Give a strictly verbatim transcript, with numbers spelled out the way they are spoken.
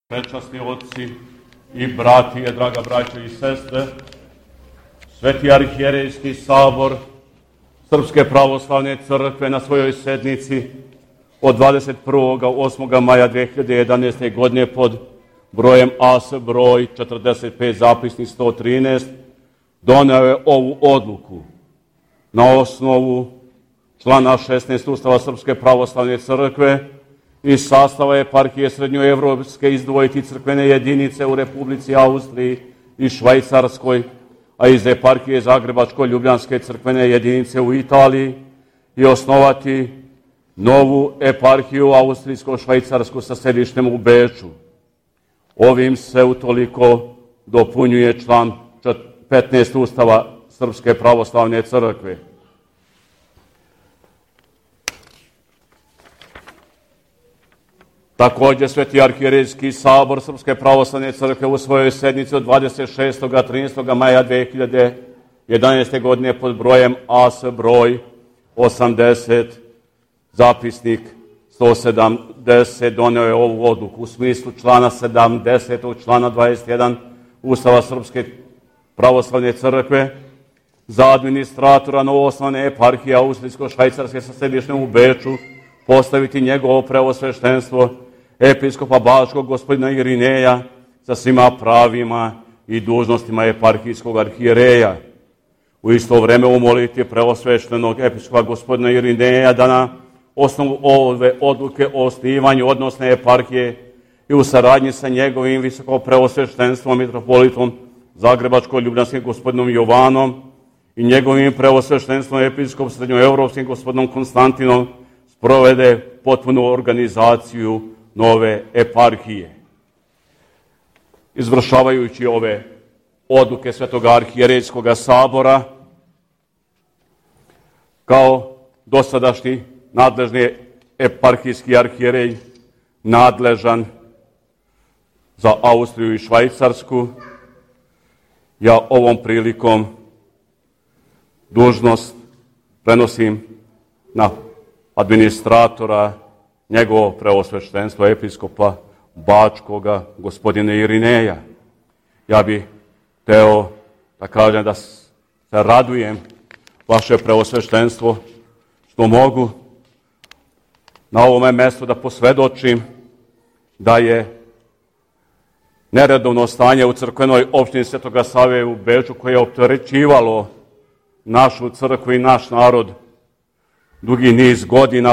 Prečasni otci i bratije, draga braćo i sestre, Sveti arhijerejski sabor Srpske pravoslavne crkve na svojoj sednici od dvadeset prvog osmog maja dve hiljade jedanaeste. godine pod brojem A S broj četrdeset pet zapisnik sto trinaest doneo je ovu odluku na osnovu člana šesnaest Ustava Srpske pravoslavne crkve iz sastava eparhije srednjoevropske izdvojiti crkvene jedinice u Republici Austriji i Švajcarskoj, a iz eparhije Zagrebačko-Ljubljanske crkvene jedinice u Italiji i osnovati novu eparhiju Austrijsko-Švajcarsku sa sedištem u Beču. Ovim se utoliko dopunjuje član petnaest Ustava Srpske pravoslavne crkve. Također, Sveti arhijerejski sabor Srpske pravoslavne crkve u svojoj sednici od dvadeset šestog i trinaestog maja dve hiljade jedanaeste. godine pod brojem A S broj osamdeset zapisnik sto sedamdeset doneo je ovu odluku u smislu člana sedamdeset člana dvadeset jedan Ustava Srpske pravoslavne crkve za administratora novoosnovane eparhije Austrijsko-Švajcarske sa sedištem u Beču postaviti njegovo preosveštenstvo episkopa Bačkog gospodina Irineja sa svima pravima i dužnostima eparhijskog arhijereja. U isto vreme umoliti preosveštenog episkopa gospodina Irineja da na osnovu ove odluke o osnivanju odnosne eparhije i u saradnji sa njegovim visoko preosveštenstvom mitropolitom Zagrebačko-Ljubljanskim gospodinom Jovanom i njegovim preosveštenstvom episkopom srednjoevropskim gospodinom Konstantinom sprovede potpunu organizaciju nove eparhije. Izvršavajući ove odluke Svetog arhijerejskog sabora, kao dosadašnji nadležni eparhijski arhijerej nadležan za Austriju i Švajcarsku, ja ovom prilikom dužnost prenosim na administratora njegovo preosveštenstvo episkopa Bačkoga gospodina Irineja. Ja bih teo da kažem da se radujem vaše preosveštenstvo što mogu na ovome mjestu da posvedočim da je neredovno stanje u crkvenoj opštini Svetoga Save u Beču koje je opterećivalo našu crkvu i naš narod dugi niz godina